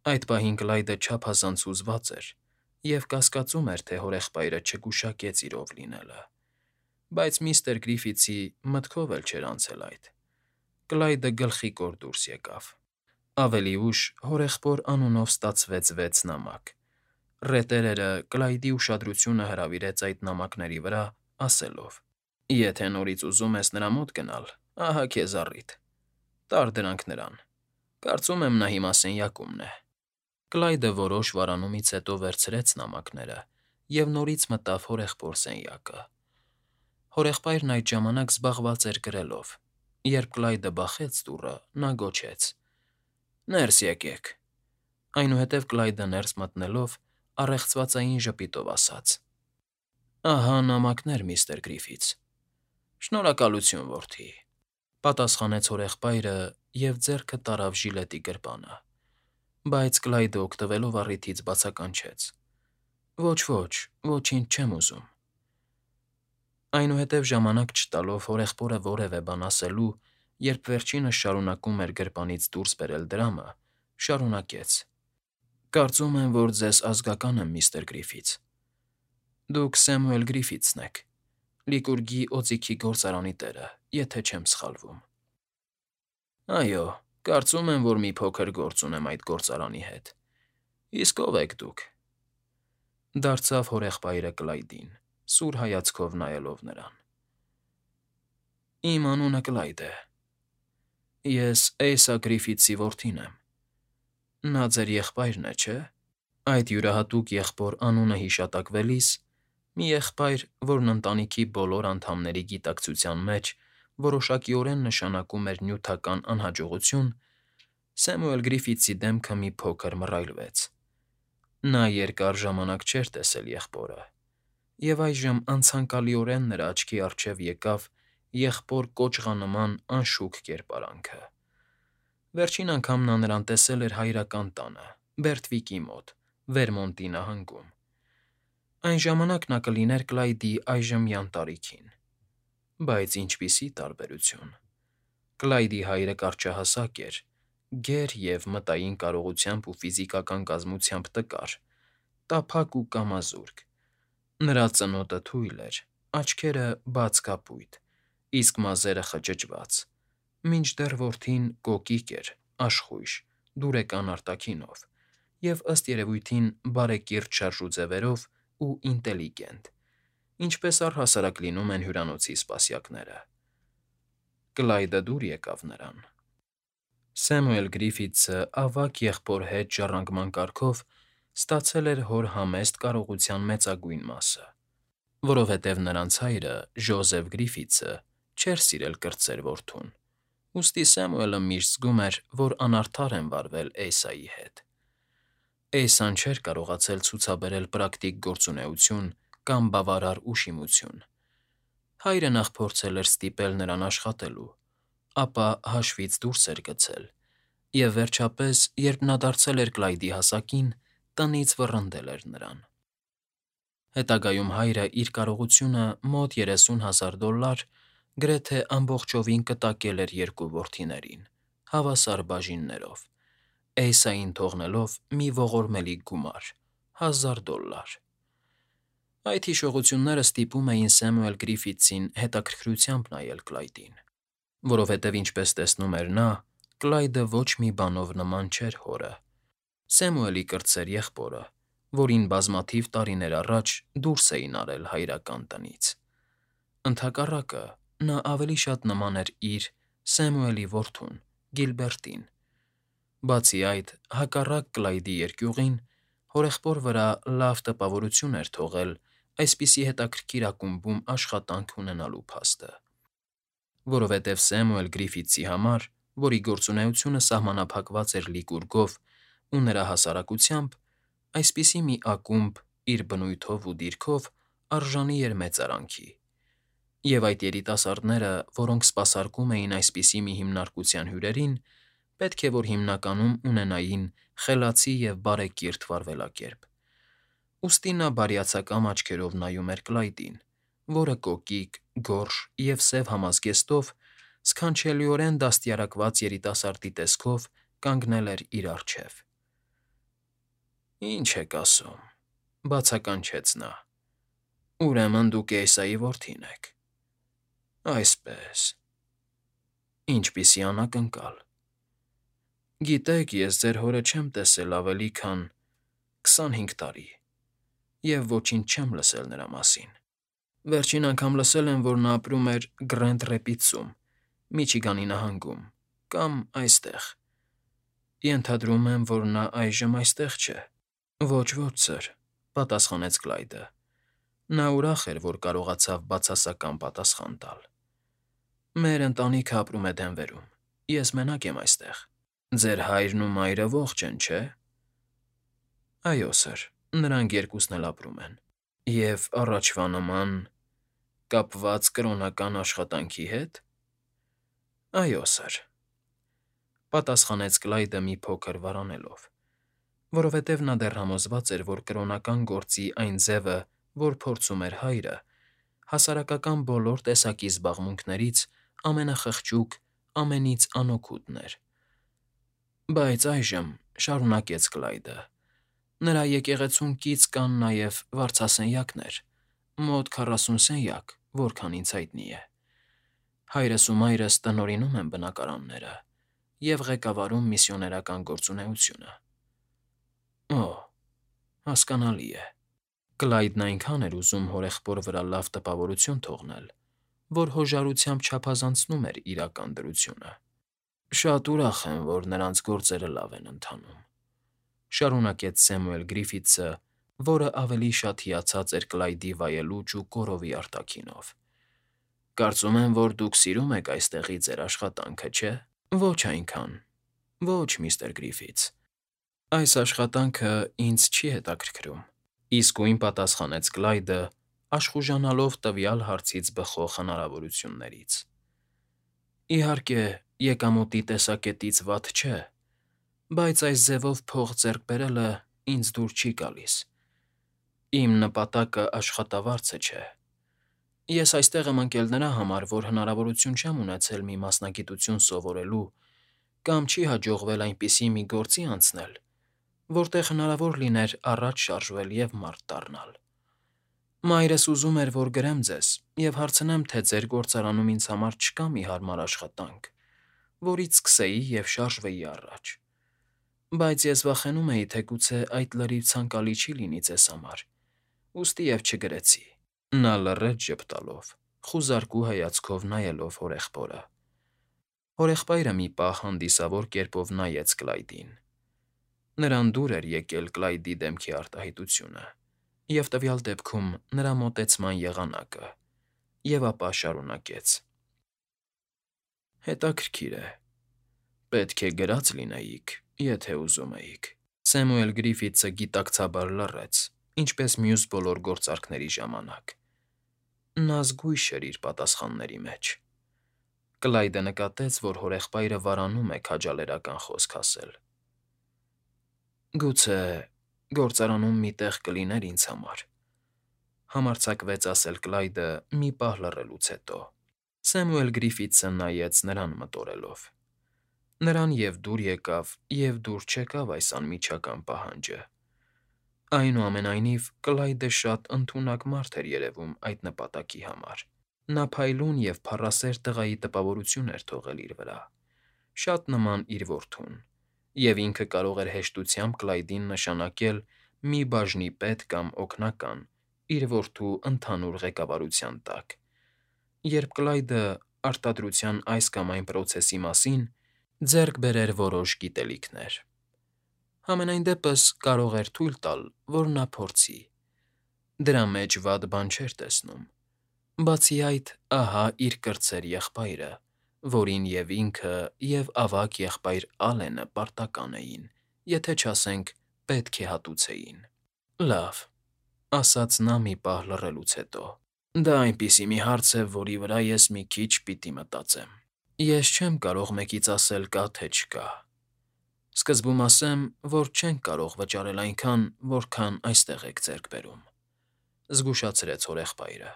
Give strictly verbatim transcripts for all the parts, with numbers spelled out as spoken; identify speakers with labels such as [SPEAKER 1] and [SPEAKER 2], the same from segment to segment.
[SPEAKER 1] Այդ պահին Կլայդը չափազանց հուզված էր և կասկածում էր, թե հորեղբայրը չգուշակեց իրով լինելը, բայց միստր Գրիֆիթսի մտքով էլ չէր անցել այդ. Կլայդը գլխիկոր դուրս եկավ։ Ավելի ուշ հորեղբոր անունով ստացվեց վեց նամակ։ Ռետերերը Կլայդի ուշադրությունը հրավիրեց այդ նամակների վրա, ասելով. «Եթե նորից ուզում ես նրա մոտ գնալ, ահա քեզ առիթ. տարր դրանք նրան։ Կարծում եմ նա հիմա սենյակումն է»։ Կլայդը որոշ վարանումից հետո վերցրեց նամակները և նորից մտավ հորեղբոր սենյակը։ Հորեղբայրն այդ ժամանակ զբաղված էր գրելով։ Երբ Կլայդը բախեց դուռը, նա գոչեց. «Ներս եկեք»։ Այնուհետև Կլայդը ներս մտնելով առեղծվածային ժպիտով ասաց. «Ահա նամակներ, միստր Գրիֆիթս»։ «Շնորհակալություն, որդի», պատասխանեց հորեղբայրը և ձեռքը տարավ ժիլետի գրպանը, բայց Կլայդը օգտվելով առիթից բացականչեց. «Ոչ, ոչ, ոչինչ չեմ ուզում»։ Այնուհետև ժամանակ չտալով հորեղբորը որևէ բան ասելու, երբ վերջինս շարունակում էր գրպանից դուրս բերել դրամը, շարունակեց. «Կարծում եմ, որ ձեզ ազգական եմ, միստր Գրիֆիթս։ Դուք Սեմուել Գրիֆիթսն եք, Լիկուրգի օձիքի գործարանի տերը, եթե չեմ սխալվում»։ «Այո, կարծում եմ, որ մի փոքր գործ ունեմ այդ գործարանի հետ։ Իսկ ո՞վ եք դուք»։ Դարձավ հորեղբայրը Կլայդին, սուր հայացքով նայելով նրան։ «Իմ անունը Կլայդ է։ Ես Էյսա Գրիֆիթսի որդին եմ։ Նա ձեր եղբայրն է, չէ՞»։ Այդ յուրահատուկ եղբոր անունը հիշատակվելիս, մի եղբայր, որն ընտանիքի բոլոր անդամների գիտակցության մեջ որոշակիորեն նշանակում էր նյութական անհաջողություն, Սեմուել Գրիֆիթսի դեմքը մի փոքր մռայլվեց։ Նա երկար ժամանակ չէր տեսել եղբորը, և այժմ անցանկալիորեն նրա աչքի առջև եկավ եղբոր կոճղանման անշուք կերպարանքը։ Վերջին անգամ նա նրան տեսել էր հայրական տանը, Բերտվիկի մոտ, Վերմոնտի նահանգում։ Այն ժամանակ նա կլիներ Կլայդի այժմյան տարիքին։ Բայց ինչպիսի տարբերություն… Կլայդի հայրը կարճահասակ էր, գեր և մտային կարողությամբ ու ֆիզիկական կազմությամբ տկար, տափակ ու կամազուրկ։ Նրա ծնոտը թույլ էր, աչքերը բաց կապույտ, իսկ մազերը խճճված, մինչդեռ որդին կոկիկ էր, աշխույժ, դուրեկան արտաքինով և, ըստ երևույթին, բարեկիրթ շարժուձևերով ու ինտելիգենտ, ինչպես առհասարակ լինում են հյուրանոցի սպասյակները։ Կլայդը դուր եկավ նրան։ Սեմուել Գրիֆիթսը ավագ եղբոր հետ ժառանգման կարգով ստացել էր հոր համեստ կարողության մեծագույն մասը, որովհետև նրանց հայրը՝ Ջոզեֆ Գրիֆիթսը, չէր սիրել կրտսեր որդուն, ուստի Սեմուելը միշտ զգում էր, որ անարդար են վարվել Էյսայի հետ։ Էյսան չէր կարողացել ցուցաբերել պրակտիկ գործունեություն կամ բավարար ուշիմություն։ Հայրը նախ փորձել էր ստիպել նրան աշխատելու, ապա հաշվից դուրս էր գցել, և վերջապես, երբ նա դարձել էր Կլայդի հասակին, տնից վռնդել էր նրան։ Հետագայում հայրը իր կարողությունը մոտ երեսուն հազար դոլար գրեթե ամբողջովին կտակել էր երկու որդիներին՝ հավասար բաժիններով, Էյսային թողնելով մի ողորմելի գումար՝ հազար դոլար։ Այդ հիշողությունները ստիպում էին Սեմուել Գրիֆիթսին հետաքրքրությամբ նայել Կլայդին, որովհետև, ինչպես տեսնում էր նա, Կլայդը ոչ մի բանով նման չէր հորը՝ Սեմուելի կրտսեր եղբորը, որին բազմաթիվ տարիներ առաջ դուրս էին արել հայրական տնից։ Ընդհակառակը, նա ավելի շատ նման էր իր՝ Սեմուելի որդուն՝ Գիլբերտին։ Բացի այդ, հակառակ Կլայդի երկյուղին, հորեղբոր վրա լավ տպավորություն էր թողել այսպիսի հետաքրքիր ակումբում աշխատանք ունենալու փաստը։ Որովհետև Սեմուել Գրիֆիթսի համար, որի գործունեությունը սահմանափակված էր Լիկուրգով ու նրա հասարակությամբ, այսպիսի մի ակումբ, իր բնույթով ու դիրքով, արժանի էր մեծարանքի, և այդ երիտասարդները, որոնք սպասարկում էին այսպիսի մի հիմնարկության հյուրերին, պետք է որ հիմնականում ունենային խելացի և բարեկիրթ վարվելակերպ։ Ուստի նա բարյացակամ աչքերով նայում էր Կլայդին, որը կոկիկ, գորշ և սև համազգեստով, սքանչելիորեն դաստիարակված երիտասարդի տեսքով կանգնել էր իր առջև։ Ինչ եք ասում,֊ բացականչեց նա։ Ուրեմն դուք Էսայի որդին եք։ Այսպես… Ինչպիսի անակնկալ… Գիտեք, ես ձեր հորը չեմ տեսել ավելի քան քսանհինգ տարի և ոչինչ չեմ լսել նրա մասին։ Վերջին անգամ լսել եմ, որ նա ապրում էր Գրենդ Ռեպիդսում, Միչիգանի նահանգում, կամ այստեղ… Ենթադրում եմ, որ նա այժմ այստեղ չէ։ Ոչ, ոչ, սըր,֊ պատասխանեց Կլայդը։ Նա ուրախ էր, որ կարողացավ բացասական պատասխան տալ։ Մեր ընտանիքը ապրում է Դենվերում, ես մենակ եմ այստեղ։ Ձեր հայրն ու մայրը ողջ են, չէ՞։ Այո, սըր, նրանք երկուսն էլ ապրում են։ Եվ առաջվա նման… կապված կրոնական աշխատանքի հետ։ Այո, սըր,֊ պատասխանեց Կլայդը մի փոքր վարանելով, որովհետև նա դեռ համոզված էր, որ կրոնական գործի այն ձևը, որ փորձում էր հայրը, հասարակական բոլոր տեսակի զբաղմունքներից ամենախղճուկ, ամենից անօգուտն էր։ Բայց այժմ,֊ շարունակեց Կլայդը,֊ նրա եկեղեցուն կից կան նաև վարձասենյակներ, մոտ քառասուն սենյակ, որքան ինձ հայտնի է։ Հայրս ու մայրս տնօրինում են բնակարանները և ղեկավարում միսիոներական գործունեությունը։ Օ՜, հասկանալի է։ Կլայդն այնքան էր ուզում հորեղբոր վրա լավ տպավորություն թողնել, որ հոժարությամբ չափազանցնում էր իրական դրությունը։ Շատ ուրախ եմ, որ նրանց գործերը լավ են ընթանում,֊ շարունակեց Սեմուել Գրիֆիթսը, որը ավելի շատ հիացած էր Կլայդի վայելուչ ու կորովի արտաքինով։ Կարծում եմ, որ դուք սիրում եք այստեղի ձեր աշխատանքը, չէ՞։ Ոչ այնքան, ոչ, միստր Գրիֆիթս, այս աշխատանքը ինձ չի հետաքրքրում,֊ իսկույն պատասխանեց Կլայդը, աշխուժանալով տվյալ հարցից բխող հնարավորություններից։ Իհարկե, եկամուտի տեսակետից վատ չէ, բայց այս ձևով փող ձեռք բերելը ինձ դուր չի գալիս։ Իմ նպատակը աշխատավարձը չէ։ Ես այստեղ եմ ընկել նրա համար, որ հնարավորություն չեմ ունեցել մի մասնագիտություն սովորելու կամ չի հաջողվել այնպիսի մի գործի անցնել, որտեղ հնարավոր լիներ առաջ շարժվել և մարդ դառնալ։ Մայրս ուզում էր, որ գրեմ ձեզ և հարցնեմ, թե ձեր գործարանում ինձ համար չկա մի հարմար աշխատանք, որից սկսեի և շարժվեի առաջ։ Բայց ես վախենում էի, թե գուցե այդ լրիվ ցանկալի չի լինի ձեզ համար, ուստի և չգրեցի։ Նա լռեց ժպտալով, խուզարկու հայացքով նայելով հորեղբորը։ Հորեղբայրը մի պահ հանդիսավոր կերպով նայեց Կլայդին։ Նրան դուր էր եկել Կլայդի դեմքի արտահայտությունը և տվյալ դեպքում նրա մոտեցման եղանակը, և ապա շարունակեց. Հետաքրքիր է։ Պետք է գրած լինեիք, եթե ուզում էիք։ Սեմուել Գրիֆիթսը գիտակցաբար լռեց, ինչպես մյուս բոլոր գործարքների ժամանակ։ Նա զգույշ էր իր պատասխանների մեջ։ Կլայդը նկատեց, որ հորեղբայրը վարանում է քաջալերական խոսք ասել։ Գուցե գործարանում մի տեղ կլիներ ինձ համար,֊ համարձակվեց ասել Կլայդը մի պահ լռելուց հետո։ Սեմուել Գրիֆիթսը նայեց նրան մտորելով։ Նրան և՛ դուր եկավ, և՛ դուր չեկավ այս անմիջական պահանջը։ Այնուամենայնիվ, Կլայդը շատ ընդունակ մարդ էր երևում այդ նպատակի համար։ Նա փայլուն և փառասեր տղայի տպավորություն էր թողել իր վրա, շատ նման իր որդուն, և ինքը կարող էր հեշտությամբ Կլայդին նշանակել մի բաժնի պետ կամ օգնական իր որդու ընդհանուր ղեկավարության տակ, երբ Կլայդը արտադրության այս կամ այն պրոցեսի մասին ձեռք բերեր որոշ գիտելիքներ։ Համենայն դեպս կարող էր թույլ տալ, որ նա փորձի։ Դրա մեջ վատ բան չէր տեսնում։ Բացի այդ, ահա իր կրտսեր եղբայրը, որին և ինքը, և ավագ եղբայր Ալենը պարտական էին, եթե չասենք պետք է հատուցեին։ Լավ,֊ ասաց նա մի պահ լռելուց հետո,֊ դա այնպիսի մի հարց է, որի վրա ես մի քիչ պիտի մտածեմ։ Ես չեմ կարող մեկից ասել կա թե չկա։ Սկզբում ասեմ, որ չենք կարող վճարել այնքան, որքան այստեղ եք ձեռք բերում,֊ զգուշացրեց հորեղբայրը։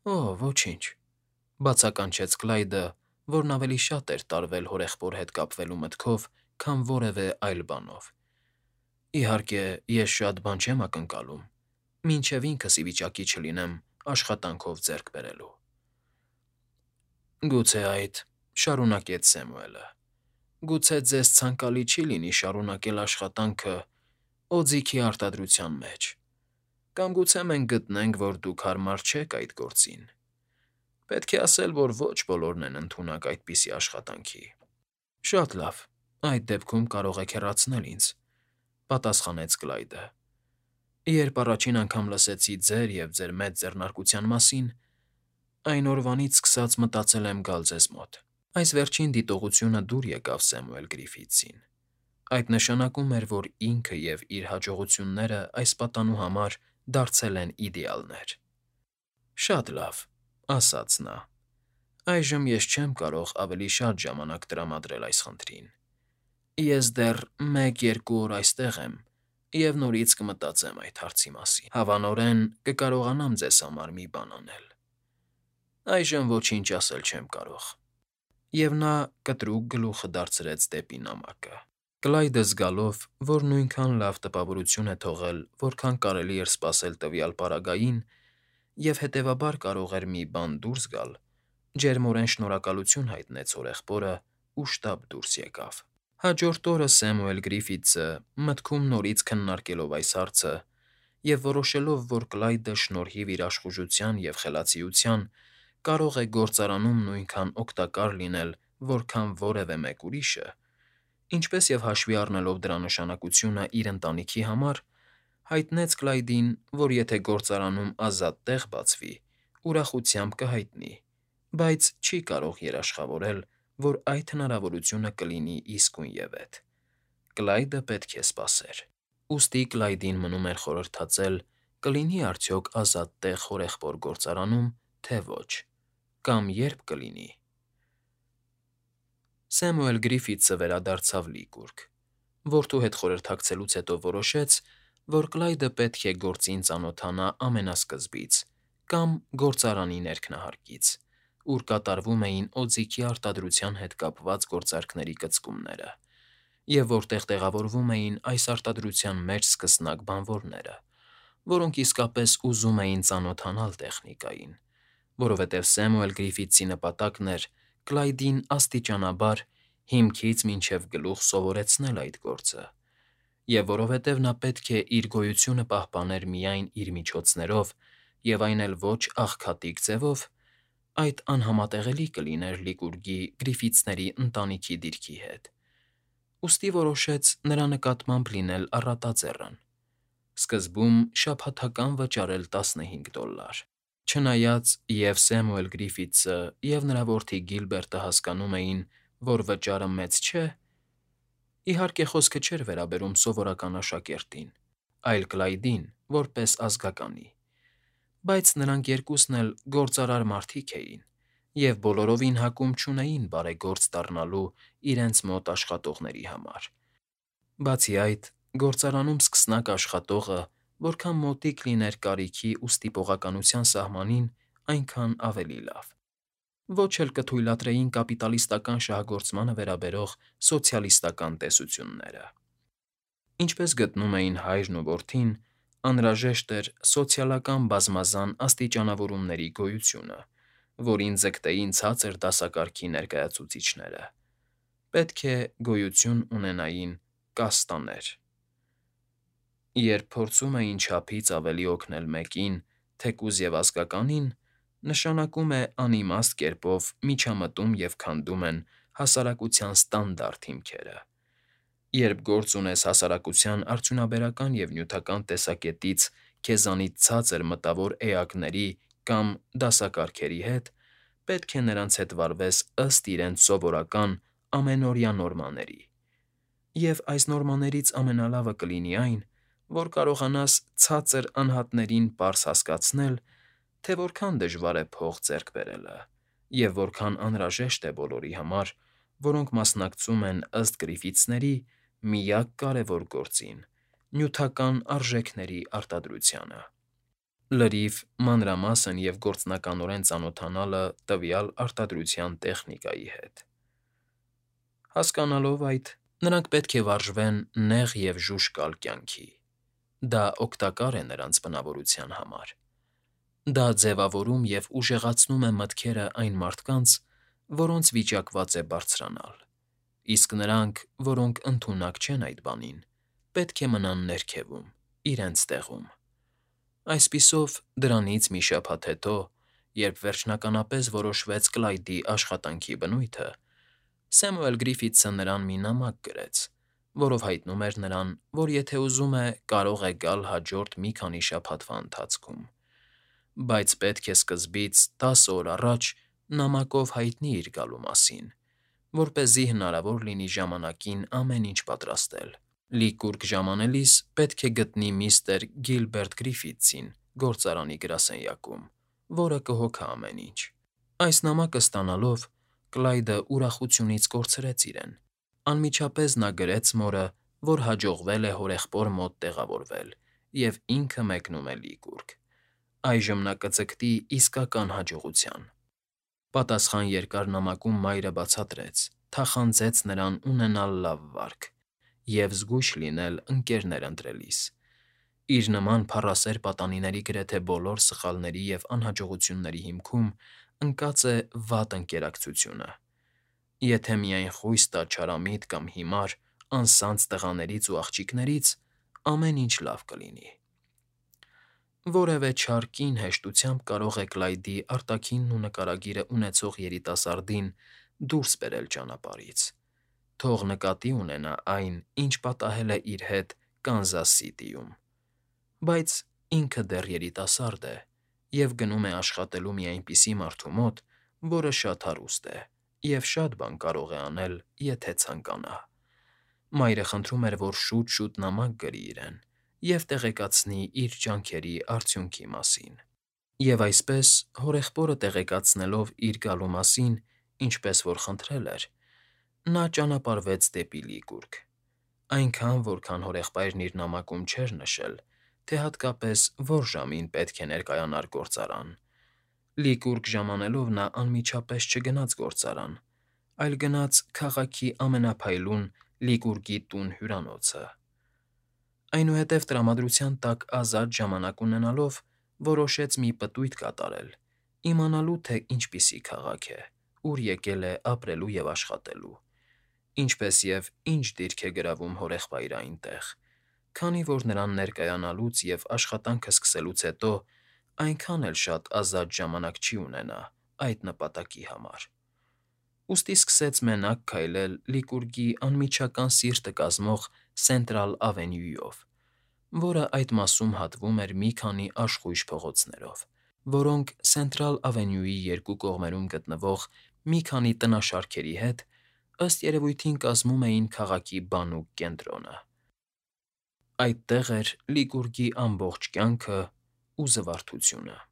[SPEAKER 1] Օ՜, ոչինչ,֊ բացականչեց Կլայդը, որն ավելի շատ էր տարվել հորեղբոր հետ կապվելու մտքով, քան որևէ այլ բանով։ Իհարկե, ես շատ բան չեմ ակնկալում, մինչև ինքս ի վիճակի չլինեմ աշխատանքով ձեռք բերելու։ Գուցե այդ,֊ շարունակեց Սեմուելը, գուցե ձեզ ցանկալի չի լինի շարունակել աշխատանքը օձիքի արտադրության մեջ, կամ գուցե մենք գտնենք, որ դուք հարմար չեք այդ գործին։ Պետք է ասել, որ ոչ բոլորն են ընդունակ այդպիսի աշխատանքի։ Շատ լավ, այդ դեպքում կարող եք հեռացնել ինձ,֊ պատասխանեց Կլայդը։ Երբ առաջին անգամ լսեցի ձեր և ձեր մեծ ձեռնարկության մասին, այն օրվանից սկսած մտածել եմ գալ ձեզ մոտ։ Այս վերջին դիտողությունը դուր եկավ Սեմուել Գրիֆիթսին։ Այդ նշանակում էր, որ ինքը և իր հաջողությունները այս պատանու համար դարձել են իդեալներ։ Շատ լավ,֊ ասաց նա։ Այժմ ես չեմ կարող ավելի շատ ժամանակ տրամադրել այս խնդրին։ Ես դեռ մեկ֊երկու օր այստեղ եմ և նորից կմտածեմ այդ հարցի մասին։ Հավանորեն կկարողանամ ձեզ համար մի բան անել։ Այժմ ոչինչ ասել չեմ կարող։ Եվ նա կտրուկ գլուխը դարձրեց դեպի նամակը։ Կլայդը զգալով, որ նույնքան լավ տպավորություն է թողել, որքան կարելի էր սպասել տվյալ պարագային, և հետևաբար կարող էր մի բան դուրս գալ, ջերմորեն շնորհակալություն հայտնեց հորեղբորը ու շտապ դուրս եկավ։ Հաջորդ օրը Սեմուել Գրիֆիթսը, մտքում նորից քննարկելով այս հարցը և որոշելով, որ Կլայդը շնորհիվ իր աշխուժության և խելացիության կարող է գործարանում նույնքան օգտակար լինել, որքան որևէ մեկ ուրիշը, ինչպես և հաշվի առնելով դրա նշանակությունն իր ընտանիքի համար, հայտնեց Կլայդին, որ եթե գործարանում ազատ տեղ բացվի, ուրախությամբ կհայտնի, բայց չի կարող երաշխավորել, որ այդ հնարավորությունը կլինի իսկույնևեթ։ Կլայդը պետք է սպասեր։ Ուստի Կլայդին մնում էր խորհրդածել՝ կլինի արդյոք ազատ տեղ հորեղբոր գործարանում, թե ոչ, կամ երբ կլինի։ Սեմուել Գրիֆիթսը վերադարձավ Լիկուրգ։ Որդու հետ խորհրդակցելուց հետո որոշեց, որ Կլայդը պետք է գործին ծանոթանա ամենասկզբից կամ գործարանի ներքնահարկից, ուր կատարվում էին օձիքի արտադրության հետ կապված գործարքների կծկումները, և որտեղ տեղավորվում էին այս արտադրության մեջ սկսնակ բանվորները, որոնք իսկապես ուզում էին ծանոթանալ տեխնիկային, որովհետև Սեմուել Գրիֆիթսի նպատակն էր Կլայդին աստիճանաբար հիմքից մինչև գլուխ սովորեցնել այդ գործը, և որովհետև նա պետք է իր գոյությունը պահպաներ միայն իր միջոցներով և այն էլ ոչ աղքատիկ ձևով, այդ անհամատեղելի կլիներ Լիկուրգի Գրիֆիթսների ընտանիքի դիրքի հետ, ուստի որոշեց նրա նկատմամբ լինել առատաձեռն, սկզբում շաբաթական վճարել տասնհինգ դոլլար։ Չնայած և՛ Սեմուել Գրիֆիթսը, և՛ նրա որդի Գիլբերտը հասկանում էին, որ վճարը մեծ չէ, իհարկե խոսքը չէր վերաբերում սովորական աշակերտին, այլ Կլայդին որպես ազգականի, բայց նրանք երկուսն էլ գործարար մարդիկ էին և բոլորովին հակում չունեին բարեգործ դառնալու իրենց մոտ աշխատողների համար։ Բացի այդ, գործարանում սկսնակ աշխատողը որքան մոտիկ լիներ կարիքի ու ստիպողականության սահմանին, այնքան ավելի լավ։ Ոչ էլ կթույլատրեին կապիտալիստական շահագործմանը վերաբերող սոցիալիստական տեսությունները։ Ինչպես գտնում էին հայրն ու որդին, անհրաժեշտ էր սոցիալական բազմազան աստիճանավորումների գոյությունը, որին ձգտեին ցածր դասակարգի ներկայացուցիչները։ Պետք է գոյություն ունենային կաստաներ։ Երբ փորձում էին չափից ավելի օգնել մեկին, թեկուզ և ազգականին, նշանակում է անիմաստ կերպով միջամտում և քանդում են հասարակության ստանդարտ հիմքերը։ Երբ գործ ունես հասարակության արդյունաբերական և նյութական տեսակետից քեզանից ցածր մտավոր էակների կամ դասակարգերի հետ, պետք է նրանց հետ վարվես ըստ իրենց սովորական ամենօրյա նորմաների, և այս նորմաներից ամենալավը կլինի այն, որ կարողանաս ցածր անհատներին պարզ հասկացնել, թե որքան դժվար է փող ձեռք բերելը և որքան անհրաժեշտ է բոլորի համար, որոնք մասնակցում են ըստ Գրիֆիթսների միակ կարևոր գործին՝ նյութական արժեքների արտադրությանը։ Լրիվ մանրամասն և գործնականորեն ծանոթանալը տվյալ արտադրության տեխնիկայի հետ։ Հասկանալով այդ, Նրանք պետք է վարժվեն նեղ և ժուժկալ կյանքի։ Դա օգտակար է նրանց բնավորության համար։ Դա ձևավորում և ուժեղացնում է մտքերը այն մարդկանց, որոնց վիճակված է բարձրանալ, իսկ նրանք, որոնք ընդունակ չեն այդ բանին, պետք է մնան ներքևում, իրենց տեղում։ Այսպիսով, դրանից մի շաբաթ հետո, երբ վերջնականապես որոշվեց Կլայդի աշխատանքի բնույթը, Սեմուել Գրիֆիթսը նրան մի նամակ գրեց, որով հայտնում էր նրան, որ եթե ուզում է, կարող է գալ հաջորդ մի քանի շաբաթվա ընթացքում, բայց պետք է սկզբից տասը օր առաջ նամակով հայտնի իր գալու մասին, որպեսզի հնարավոր լինի ժամանակին ամեն ինչ պատրաստել։ Լիկուրգ ժամանելիս պետք է գտնի միստր Գիլբերտ Գրիֆիթսին գործարանի գրասենյակում, որը կհոգա ամեն ինչ։ Այս նամակը ստանալով՝ Կլայդը ուրախությունից կորցրեց իրեն։ Անմիջապես նա գրեց մորը, որ հաջողվել է հորեղբոր մոտ տեղավորվել և ինքը մեկնում է Լիկուրգ։ Այժմ նա կձգտի իսկական հաջողության։ Պատասխան երկար նամակում մայրը բացատրեց, թախանձեց նրան ունենալ լավ վարք և զգույշ լինել ընկերներ ընտրելիս։ Իր նման փառասեր պատանիների գրեթե բոլոր սխալների և անհաջողությունների հիմքում ընկած է վատ ընկերակցությունը։ Եթե միայն խույս տա չարամիտ կամ հիմար, անսանձ տղաներից ու աղջիկներից, ամեն ինչ լավ կլինի։ Որևէ չար կին հեշտությամբ կարող է Կլայդի արտաքինն ու նկարագիրը ունեցող երիտասարդին դուրս բերել ճանապարհից, թող նկատի ունենա այն, ինչ պատահել է իր հետ Կանզաս Սիթիում։ Բայց ինքը դեռ երիտասարդ է և գնում է աշխատելու մի այնպիսի մարդու մոտ, որը շատ հարուստ է և շատ բան կարող է անել, եթե ցանկանա։ Մայրը խնդրում էր, որ շուտ֊շուտ նամակ գրի իրեն և տեղեկացնի իր ջանքերի արդյունքի մասին։ Եվ այսպես, հորեղբորը տեղեկացնելով իր գալու մասին, ինչպես որ խնդրել էր, նա ճանապարհվեց դեպի Լիկուրգ, այնքան, որքան հորեղբայրն իր նամակում չէր նշել, թե հատկապես որ ժամին պետք է ներկայանար գործարան։ Լիկուրգ ժամանելով նա անմիջապես չգնաց գործարան, այլ գնաց քաղաքի ամենափայլուն Լիկուրգի տուն֊հյուրանոցը։ Այնուհետև տրամադրության տակ ազատ ժամանակ ունենալով՝ որոշեց մի պտույտ կատարել, իմանալու, թե ինչպիսի քաղաք է, ուր եկել է ապրելու և աշխատելու, ինչպես և ինչ դիրք է գրավում հորեղբայրը այնտեղ, քանի որ նրան ներկայանալուց և աշխատանքը սկսելուց հետո այնքան էլ շատ ազատ ժամանակ չի ունենա այդ նպատակի համար։ Ուստի սկսեց մենակ քայլել Լիկուրգի անմիջական սիրտը կազմող Սենտրալ Ավենյուով, որը այդ մասում հատվում էր մի քանի աշխույժ փողոցներով, որոնք Սենտրալ Ավենյուի երկու կողմերում գտնվող մի քանի տնաշարքերի հետ, ըստ երևույթին, կազմում էին քաղաքի բանուկ կենտրոնը։ Այդտեղ էր Լիկուրգի ամբողջ կյանքն ու զվարթությունը։